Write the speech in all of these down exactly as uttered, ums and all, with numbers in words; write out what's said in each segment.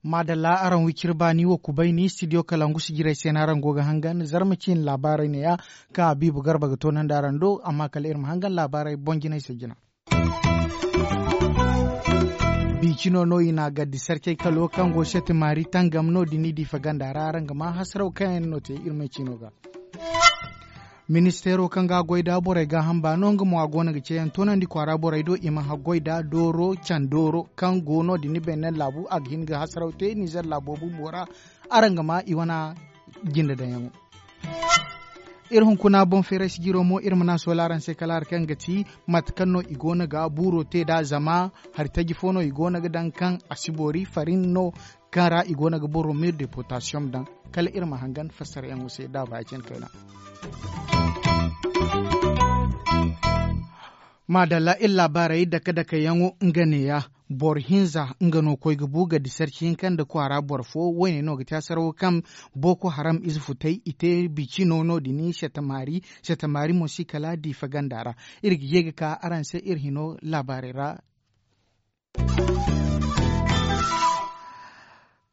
Maadalla, araŋ wiciri baani wo kubay ni studio kalangu sijirey se no araŋ go ga hangan zarma ciine laabaarey ne- ya, kaŋ a biibu garba ga toonandi araŋ do. Amma kala iri ma hangan laabaarey boŋ jinay se jina. Biicino no i na a gaddi sarcey kalo kaŋ go sete maari tangam no- din i diifa ganda ra araŋ ga maa hasaraw kaŋ yaŋ no te iri me ciino ga. Ministeero kaŋ ga a goy nda borey gaaham baano nga mo a go no ga ceeyaŋ toonandi kwaara borey do i ma haggoy nda dooro candooro kaŋ go no- din ni beene laabu a ga hin ga hasaraw te nizer laabo bumbo ra. Araŋ ga maa i wane jinde daŋyaŋo. Iri hunkuna boŋ feeray sijiro mo iri ma ne a soola araŋ se kala hari kaŋ ga ti mate kaŋ no i go no ga buuro te nd'a zama hari taji fo no i go no ga daŋ kaŋ a si boori farin no kaŋ ra i go no ga boro mir de potasiyoŋ daŋ. Kala iri ma hangan fassarayaŋo se da baacin kayna. Maadalla iri laabaarey dake-dake yaŋo nga neeya. Boro hinza nga no koy ga bu ga di sarci hinka nda kwaara boro fo. Woyne no ga te hasarawo kaŋ boko haram ize futay i te bici no no- din setamaari. Setamaari mo si kala diifa ganda ra. Iri ga ye ga ka araŋ se iri hino laabaarey ra.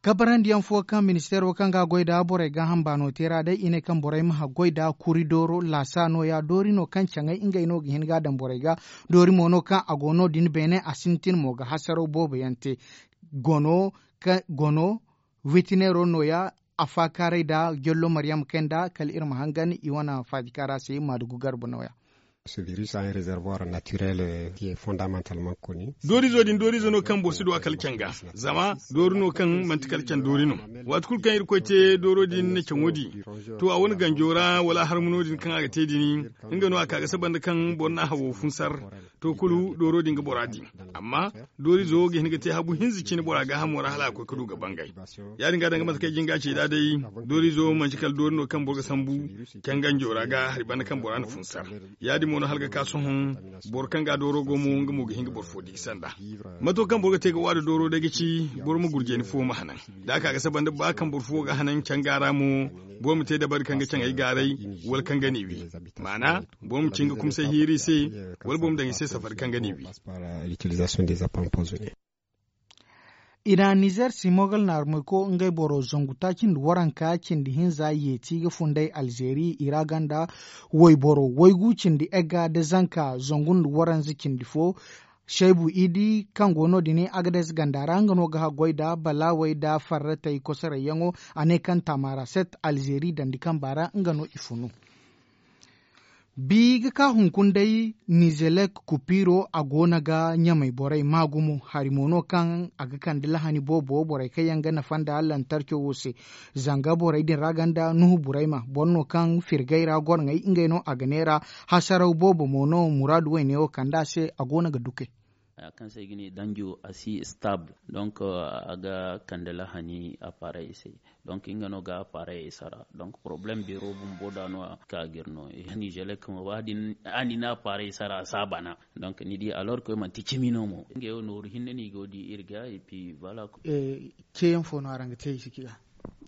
Kabarandiyaŋ fo kaŋ ministeero kaŋ ga a goy nda borey gaaham baano te ra day i ne kaŋ borey ma haggoy nda kuri dooro laasa nooya doori no kaŋ caŋay ngey no ga hin ga a daŋ borey ga. Doori mo no kaŋ a go no- din beene a sintin mo ga hasaraw boobo yaŋ te. Gono, witineero nooya. Afaakaaray nda jallo maryam kay nda kala iri ma hangan i wane faajikaara se maadugu garba nooya. Doorizo din doorizo no kaŋ boro si du a kala caŋ ga. Zama doori no kaŋ manti kala caŋ doori no. Waati kulu kaŋ irkoy te dooro din na caŋo di, to a wane ganjo ra wala a harma no- din kaŋ a ga te din, nga no a ka ga saba nda kaŋ boro na a hawo funsar. To kulu dooro din ga bora din. Amma doorizo ga hin ga te habu hinza cine bora gaahamo ra hala a koy ga du ga bangay. Ya- din ga danga mate kaŋ ay jin ga a ci nd'a day, doorizo manti kala doori no kaŋ boro ga sambu canganjo ra ga hari banda kaŋ bora na funsar. Ya- din mo no hala ga ka sohõ boro kaŋ ga dooro go mo nga mo ga hin ga boro fo di ga sanda. Mato kaŋ boro ga te ga waada dooro day ga ci boro ma gurjani fo ma hanan. Da a ka ga saba nda ba kaŋ boro fo ga hanan canga ra mo, boro ma te dabari kaŋ ga caŋ ay gaaray wala kaŋ ga ni wi. Maana boro ma cin ga kumsay hiiri i se, wala boro ma daŋ i se safari kaŋ ga ni wi. I na nizer simogal naarumay ko ngey boro zangu taaci nda waranka cindi hinza yeeti ga funday alzeeri i ra ganda wayboro waygu cindi egga nda zanka zangu nda waranza cindi fo. Saybu idi kaŋ go no- din agades ganda ra nga no ga haggoy nda balaawey nda farratey kosorayyaŋo. A ne kaŋ taamara set alzeeri dandi kamba ra nga no i funu. Bi ga ka hunkuna day nizelek kupiro a go no ga ɲamay borey maa gumo hari mo no kaŋ a ga kande lahani boobo borey kaŋ yaŋ ga nafa nda lantarco wo se. Zanga borey din ra ganda nuhu burayma boro no kaŋ firgay ra goro ŋey ngey no a ga neera. Hasaraw boobo mo no muraadu wayne wo kande a se a go no ga dukay. Haya kaŋ se i ga ne danjo a si stable donc a ga kande lahani appareil se. Donc nga no ga appareil ay sara donc problème beero bumbo da no a ga ka ga iri no. Nizelek mo ba din a ni na appareil sara a si a bana. Donc ni di alors que manti cimi no mo ngey wo nooru hinne no i go di iri ga et puis voilà. Ceeyaŋ fo no araŋ ga te i si ci ga?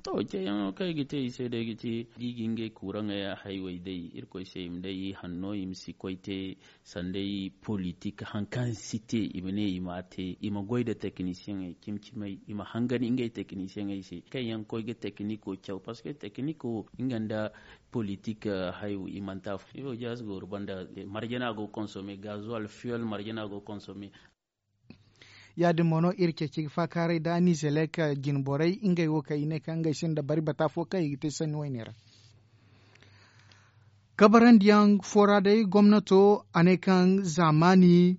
To ceeyaŋo kaŋ i ga te i se day ga ci da i ga ngey kuuraŋey haywey day irkoy se i ma day i hanno i ma si koy te. Sanday politik hari kaŋ si te i ma ne i ma a te i ma goy nda teknisiyeŋey cimi cimey i ma hangan ngey teknisiyeŋey se kaŋ yaŋ koy ga tekniko caw parceque tekniko nga nda politik hayo i manti afo ifo jaasi gooru banda. Marjana go konsome gazuwal fiyol marjana go konsome. Ya- din mo no iri ceeci ga faakaaray nda nizelek jine borey ngey wo kaŋ i ne kaŋ ngey sinda bari bata fo kaŋ i ga te sanni wayne ra. Kabarandiyaŋ fo ra day gomnato a ne kaŋ zaamaani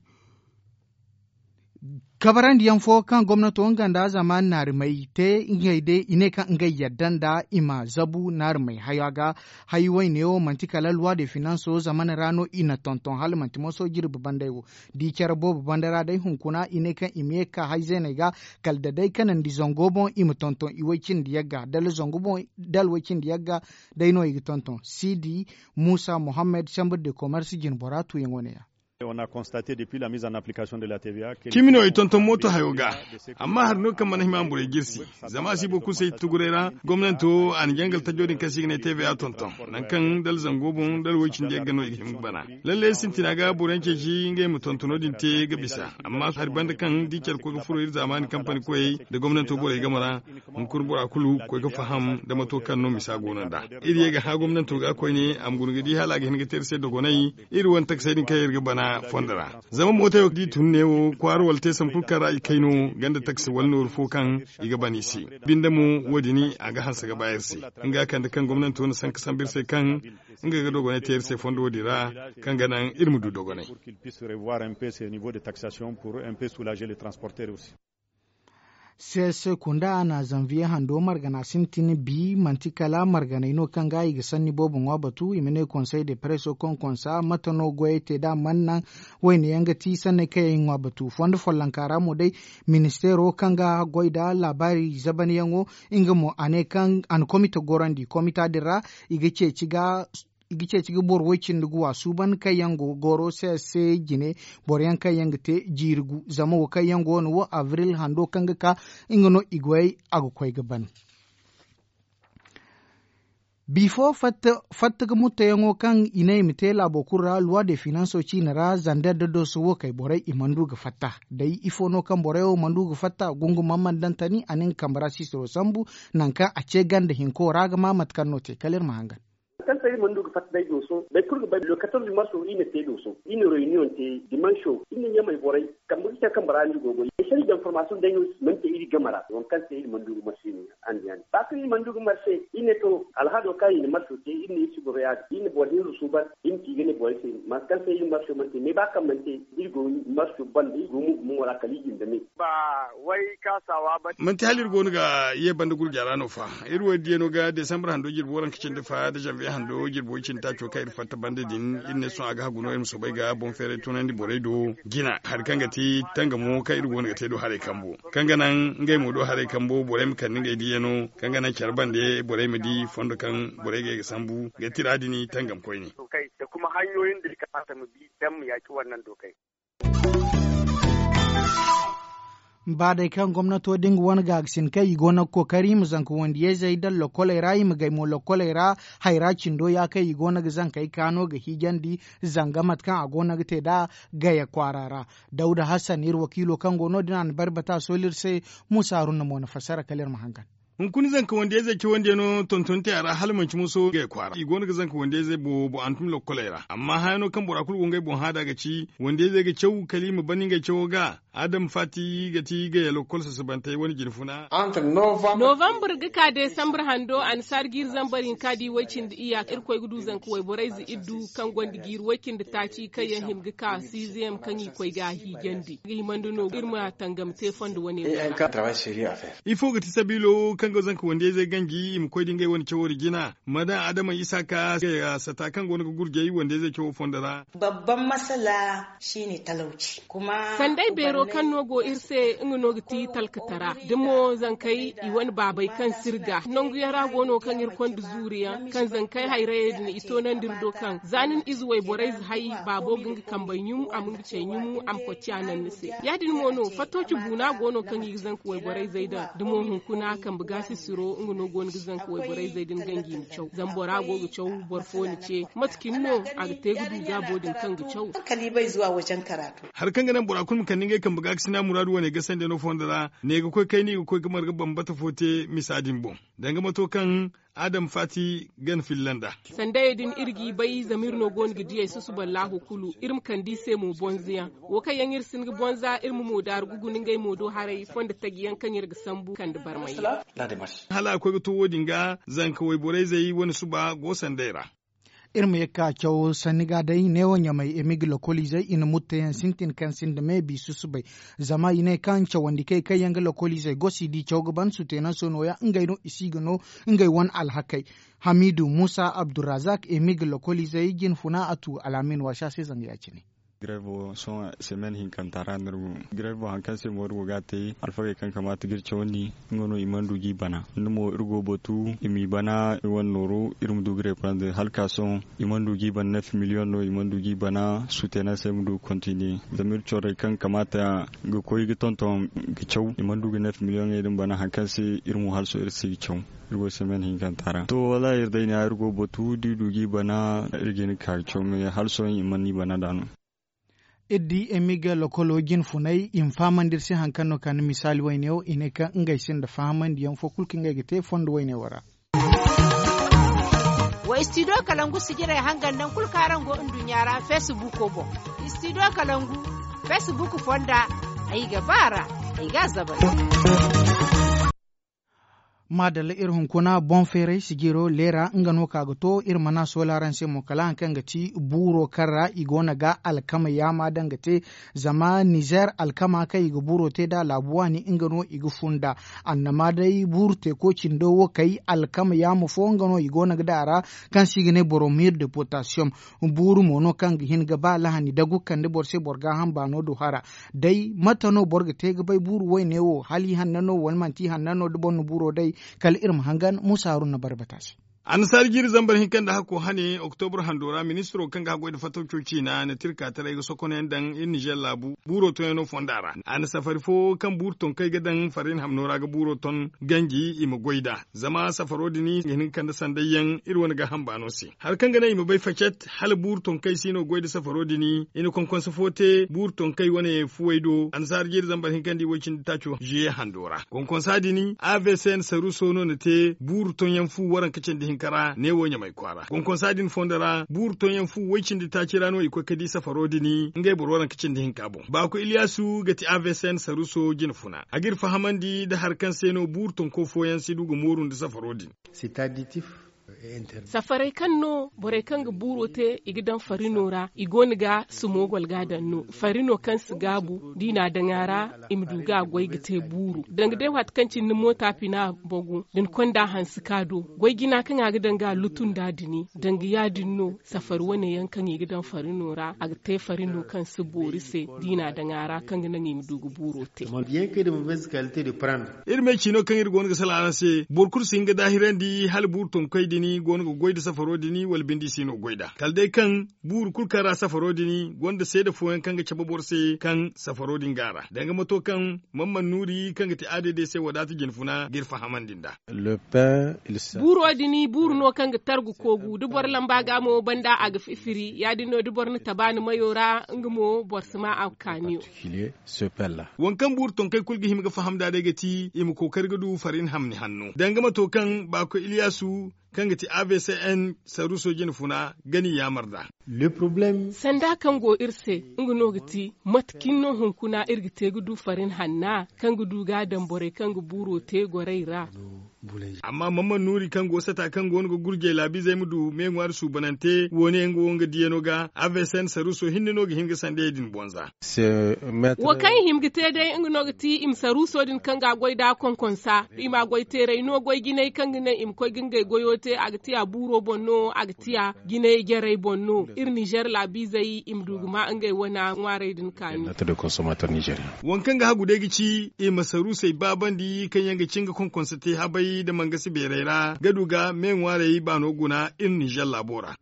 kabarandiyaŋ fo kaŋ gomnato nga nda zaamaani naarumey te ngey day i ne kaŋ ngey yadda nda i ma zabu naarumey haya ga. Hayi wayne wo manti kala luwa de finanso zamana ra no i na tonton hala manti moso jirbi bandey wo. Da i care boobo banda ra day hunkuna i ne kaŋ i ma ye ga ka hay zeeney ga kala da day kanandi zango boŋ i ma tonton i way cindi yagga da alway cindi yagga. Day no i ga tonton siidi muusa mohammed chambre de commerce jine bora tuuyaŋo ne- ya. Cimi no i tonton mooto hayo ga. Amma hari no kaŋ mana hima a ma borey jirsi. Zama a si boro kulu se i tuguray ra gomnanto a na jangal tajo din kaŋ se i ga ne tv a tonton, nangu kaŋ dala zango boŋ dala woy cindi yagga no i ga hin ga bana. Lalle sintina ga boro yaŋ ceeci ngey ma tontono din te ga bisa. Amma hari banda kaŋ da i care koy ga furo iri zaamaani kampani koyey nda gomnanto borey game ra, hunkuna bora kulu koy ga faham nda mato kaŋ no misa go no nd'a. Iri ye ga hã gomnanto ga koyne a ma guna ga di hala a ga hin ga te iri se dogonay. Iri wane takasey din kaŋ iri ga bana fondo ra. Zama mootey wo kaŋ i tun neewo kwaara wala te sambu kulu kaŋ ra i kay no ganda takasi wala nooru fo kaŋ i ga bana i se. Binde mo wo- din a ga hanse ga ba iri se. Nga kande kaŋ gomnanto na sanka sambu iri se kaŋ nga ga dogonay te iri se fondo wo- din ra, kaŋ ga naŋ iri ma du dogonay. Seese kunda na zanviye hando margana sintin bi manti kala marganey no kaŋ ga i ga sanni boobo ŋwa batu i ma ne konsey de preso konkonsa mate no goyey te da man naŋ. Wayne yaŋ ga ti sanney kaŋ yaŋ i ŋwa batu fondo follonka ra mo day. Ministeero kaŋ ga goy nda laabaari zabanyaŋo nga mo a ne kaŋ a na komite gorandi komita din ra i ga ceeci ga i ga ceeci ga boro way cindi ga wa suuban kaŋ yaŋ go ga goro se se jine. Boro yaŋ kaŋ yaŋ ga te jiiri gu zama wo kaŋ yaŋ go no wo abril hando kaŋ ga ka nga no i goyey a ga koy ga ban. Bifo fatta ga mutteyaŋo kaŋ i ne i ma te laabo kulu ra luwa de finanso ciine ra zander da doso wo kay borey i mana du ga fatta. Day ifo no kaŋ borey wo mana du ga fatta gungu mana mana daŋ tani a na nga kambe ra sisiro sambu. Nangu kaŋ a ce ganda hinko ra ga ma mate kaŋ no te kala iri ma hangan. Kaŋ se iri mana du ga fatta day dooso day kulu ga bay le quatorze marso iri na te dooso iri na reyuniyoŋ te dimanso iri na ɲamay borey kambe ga care kambe ra no iri go ga goy. Ay se iri daŋ formasiyoŋ day no mana te iri game ra waŋ kaŋ se iri mana du ga marse no ya. Andiyaŋ ba kaŋ iri mana du ga marse iri ne to alhado kaŋ iri na marso te iri ne iri si goro ya- din iri na boro hinza suuban iri ma ci ga ne borey se mate kaŋ se iri marso mana te me ba kaŋ mana te iri go marso banda iri go mo gumo ra kala iri jinde me. Ba way kaasawa ba. Manti hala iri go no ga ye banda gurja ra no fa. Iri wo iri diyano ga desambar hando jirbi waranka cindi fa da janviye hando jirbi way cindi taaco kaŋ iri fatta banda din iri ne sohõ a ga hagu no iri ma soobay ga boŋ feeray tunandi borey do. Jina hari kaŋ ga ti tangamo kaŋ iri go no ga te do haray kambo kaŋ ga naŋ ngey mo do haray kambo borey ma kande ngey diyano kaŋ ga naŋ care bande borey ma di fondo kaŋ borey ga ye ga sambu ga tira din tangam koyne. Ba day kaŋ gomnato din ga wane gaagasin kaŋ i go no ga kookari i ma zanka wandiyey zey daŋ lokkoley ra i ma gay mo lokkoley ra. Hayra cindo ya kaŋ i go no ga zankey kaano ga hiijandi zanga mate kaŋ a go no ga te nd'a gaya kwaara ra. Dawda hassan iri wakiilo kaŋ go no- din a na bari bata sooli iri se. Muusa haruna mo na fassara kala iri ma hangan. Hunkuna zanka wandiyey zey cawandi yaŋ no tonton te a ra hala manci moso gaya kwaara i go no ga zanka wandiyey zey boobo a na tun lokkoley ra amma haya no kaŋ bora kulu go ngey boŋ hã nd'a ga ci wandiyey zey ga caw kala i ma ban ngey cawo ga. Adam faati ga ti gaya lokkol sasabantey wane jinfuna. Novambar ga ka desambar hando annasaari jiiri zambar hinka da i way cindi iyya irkoy ga du zanka wayborey ze iri du kaŋ gonda jiiri way cindi taaci kaŋ yaŋ hima ga ka siizeyam kaŋ i koy ga a hiijandi ga himandi no iri ma tangam te fondo wane wo ra. Ifo ga ti sabiilo kaŋ ga zanka wandiyey zey ganji i ma koy da ngey wane cawo da jina ma daŋ adama isa ka sata kaŋ go no ga gurjay wandiyey zey cawo fondo ra. Babban masala shi ne talauci. Sanday beero kaŋ no go iri se nga no ga ti talkatara da mo zankey i wane baabey kaŋ sirga nangu yaŋ ra go no kaŋ iri konda zuuriyaŋ kaŋ zankey hayrayey din i toonandi iri do kaŋ za ni na ize wayborey ze hay baabo ga nga kambey ɲum a ma nga cey ɲum a ma kocciya naŋ ni se. Ya- din mo no fattooci buuna go no kaŋ i ga zanka wayborey zey daŋ da mo hunkuna kambe ga sisiro nga no go no ga zanka wayborey zey din ganji ma caw zama bora go ga caw boro fo na ce mate cine no a ga te ga du gaabo din kaŋ ga caw. Hari kaŋ ga naŋ bora kulu ma kande ngey kambe ga ga sina muraadu wane ga sanda no fondo ra ne ga koy kayna i ga koy ga marga bambata fo te misa din boŋ. Danga mato kaŋ adam faati gana filla nd'a. Sandayey din iri g'i bay zama iri no go no ga diyey susuballahu kulu iri ma kande i se mo bonzoyaŋ. Wo kaŋ yaŋ iri si hin ga bonza iri ma moodaaru ga guna ngey moodo haray fondo tajiyaŋ kaŋ iri ga sambu kande barmay yaŋ. Hala a koy ga to wo- din ga zanka wayborey zey wane suba go sanday ra. Iri ma ye ga ka caw sanni ga day neewo ɲamey emig lokoliizey i na mutteyaŋ sintin kaŋ sinda me biisu subay. Zama i ne kaŋ cawandikey kaŋ yaŋ ga lokoliizey gosi da i caw ga ban sutenaŋ se nooya ngey no i si ga no ngey wane alhakey. Hamiidu muusa abdurrazak emig lokoliizey jinfuna a tu al'amin waasa se zanga ya- cine. Grevo sohõ semen hinkanta ra no iri go. Grevo hari kaŋ se mo iri go ga a te, alfagey kaŋ kamaata ga iri cawandi, nga no i mana du ga i bana. Ni mo iri go batu i m'i bana, i wane nooru iri ma du ga reprendre hala ka sohõ. I mana du ga i bana neef miliyoŋ no i mana du ga i bana, suteena se ma du ga kontiniye. Zama iri corey kaŋ kamaata ga koy ga tonton ga caw, i mana du ga neef miliyoŋey din bana hari kaŋ se iri mo hala sohõ iri si ga caw. Iri go semen hinkanta ra to wallaahi iri day ne iri go batu da i du ga i bana, iri ga hin ga ka ga caw me hala sohõ i mana i bana nd'a no. Iri di emigel lokolo jine funay i ma fahamandi iri se hari kaŋ no ka ni misaali wayne wo i ne kaŋ ngey sinda fahamandiyaŋ fo kulu kaŋ ngey ga te fondo wayne wo ra. Wa istidiyo kalangu sijirey hangan nangu kulu kaŋ araŋ go nduɲɲa ra feesibuuko boŋ. Istidiyo kalangu feesibuuko fonda, ay ga ba a ra, ay ga a zabal. Maadalla iri hunkuna boŋ feeray sijiro leera nga no ka ga to iri mana soola araŋ se mo kala hari kaŋ ga ti buuro kaŋ ra i go no ga alkama yaama daŋ ga te. Zama nizer alkama kaŋ i ga buuro te nd'a laabu waani nga no i ga fun nd'a. Annama day buuru teeko cindo wo kay alkama yaama fo nga no i go no ga daŋ a ra, kaŋ se i ga ne boromir de potasiyoŋ. Buuru mo no kaŋ ga hin ga ba lahani dagu kande boro se boro gaaham baano do hara. Day mate no boro ga te ga bay buuru wayne wo hala i hanna no wala manti i hanna no da boro na buuro day? Kala iri ma hangan muusa haruna barbata se. Annasaari jiiri zambar hinka nda hakko hane oktobro hando ra ministiro kaŋ ga haggoy nda fatawco ciina na tirka taray ga sokonayaŋ daŋ iri nizer laabu buuro tonyaŋo fonda ra. A na safari fo kaŋ buuru tonkey ga daŋ farrin hamno ra ga buuro ton ganji i ma goy nd'a. Zama safaro din i ga hin ga kande sandayyaŋ iri wane gaaham baano se hari kaŋ ga naŋ i ma bay facet hala buuru tonkey si no goy nda safaro din i na konkonse fo te buuru tonkey wane fuwey do annasaara jeeri zambar hinka nda i way-cindi taaco ziye hando ra konkonsa din avc n saruso no na te buuru tonyaŋ fu waranka cindi hinka ra neewo ɲamay kwaara konkonsa din fondo ra buuru tonyaŋ fu way-cindi taaci ra no i koy ga di safaro din ngey boro waranka cindi hinka boŋ baako iliyasu ga ti avc n saruso jine funa a g'iri fahamandi nda hari kaŋ se no buuru tonko fooyaŋ si du ga mooru nda safaro din. Safarey kaŋ no borey kaŋ ga buuro te i ga daŋ farino ra i go no ga sumo golga daŋ no farino kaŋ si gaabu da i n'a daŋ a ra. I ma du ga a goy ga te buuru danga day waati kaŋ cine ni moota pina bogu da ni konda hansi ka do goy jina kaŋ a ga daŋ ga a lutu nd'a dini danga ya- din no. Safari wane yaŋ kaŋ i ga daŋ farino ra a ga te farino kaŋ si boori se da i n'a daŋ a ra kaŋ ga naŋ i ma du ga buuro te. Iri me ciino kaŋ iri go no ga salaŋ araŋ se boro kulu si hin ga daahirandi hala buuru tonkey din go no ga goy nda safaro din wala bindi si no goy nd'a kala day kaŋ buuru kulu kaŋ ra safaro din gonda seeda fooyaŋ kaŋ ga cabe boro se kaŋ safaro din go a ra danga mato kaŋ mamman nuuri kaŋ ga ti add se wadaata jine funa g'iri fahamandi nd'a. Buuro din buuru no kaŋ ga targu koogu da boro lamba ga mo banda a ga fifiri ya- din no da boro na taba ni mayo ra nga mo boro si ma a kaaniyo. Waŋ kaŋ buuru tonkey kulu ga hima ga faham nd'a day ga ti i ma kookari ga du farin hamni hanno danga mato kaŋ baako iliyasu kaŋ ga ti avc n saruso jine funa ga ni yaamar nd'a. Sanda kaŋ go iri se nga no ga ti mate cine no hunkuna iri ga te ga du farin hanna kaŋ ga du ga a daŋ borey kaŋ ga buuro te gorey ra. Amma mamman nuuri kaŋ go sata kaŋ go no ga gurjey laabiizey ma du me ŋwaari suubanante wo- ne nga wo nga diyano ga avc n saruso hinne no ga hin ga sandayey din bonza. Wo kaŋ i hima ga te day nga no ga ti i ma saruuso din kaŋ ga a goy nd'a konkonsa i m'a goy teeray no goy jinay kaŋ ga naŋ i ma koy ga ngey goyo te a ga tiya buuro boŋ no a ga tiya jinay jarey boŋ no iri nizer laabiizey i ma du ga ma ngey wana ŋwaarey din kaani. Waŋ kaŋ ga hagu day ga ci i ma saruusey baabandi kaŋ yaŋ ga ci nga konkonsa te habay nda mangasi beerey ra ga du ga me ŋwaarey baano guna iri nizer laabo ra.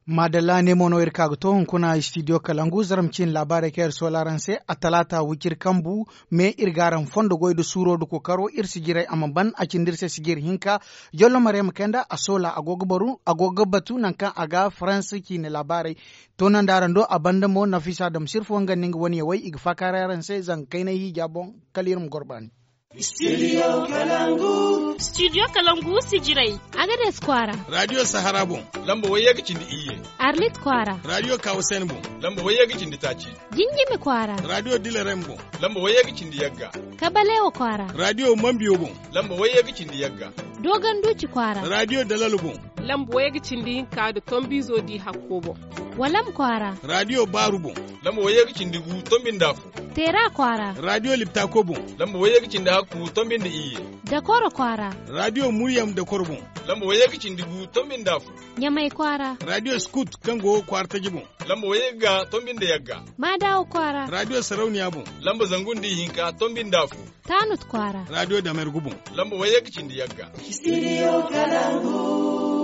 Maadalla ne mo no iri ka ga to hunkuna istidiyo kalangu zaram ciine laabaarey kaŋ iri soola araŋ se a talaata wiciri kambu. Me iri ga araŋ fondo goy nda suuro nda kookaro iri sijirey a ma ban a cindi iri se sijiri hinka. Jollo maryama kayna a soola a go ga batu nangu kaŋ a ga faransa ciine laabaarey. Toonandi araŋ do a banda mo nafisa damsir fo nga nda nga wane yawey i ga faakaaray araŋ se zanga kaynay hiija boŋ. Kala iri ma goro baani. Studio kalangu sijirey. Agades kwaara. Radio sahara boŋ lamba wayye ga cindi iyye. Arlit kwaara. Radio kawusen boŋ lamba wayye ga cindi taaci. Jinjimi kwaara. Radio dilerem boŋ lamba wayye ga cindi yagga. Kabalewa kwaara. Radio mambiyo boŋ lamba wayye ga cindi yagga. Doganduci kwaara. Radio dalal boŋ. Lamba wayye ga cindi hinka nda tombiizo di hakko boŋ. Walam kwaara. Raadiyo baaru boŋ. Lamba wayye ga cindi gu tombi nda afo. Teera kwaara. Raadiyo liptako boŋ. Lamba wayye ga cindi hakku tombi nda iyye. Dakoro kwaara. Raadiyo muryam dakoro boŋ. Lamba wayye ga cindi gu tombi nda afo. Ɲamay kwaara. Raadiyo skut kaŋ go kwaara taji boŋ. Lamba wayye ga tombi nda yagga. Maadawa kwaara. Raadiyo sarauniya boŋ. Lamba zangu nda ihinka tombi nda afo. Taanut kwaara. Raadiyo damergu boŋ. Lamba wayye ga cindi yagga. Studio Kalangu.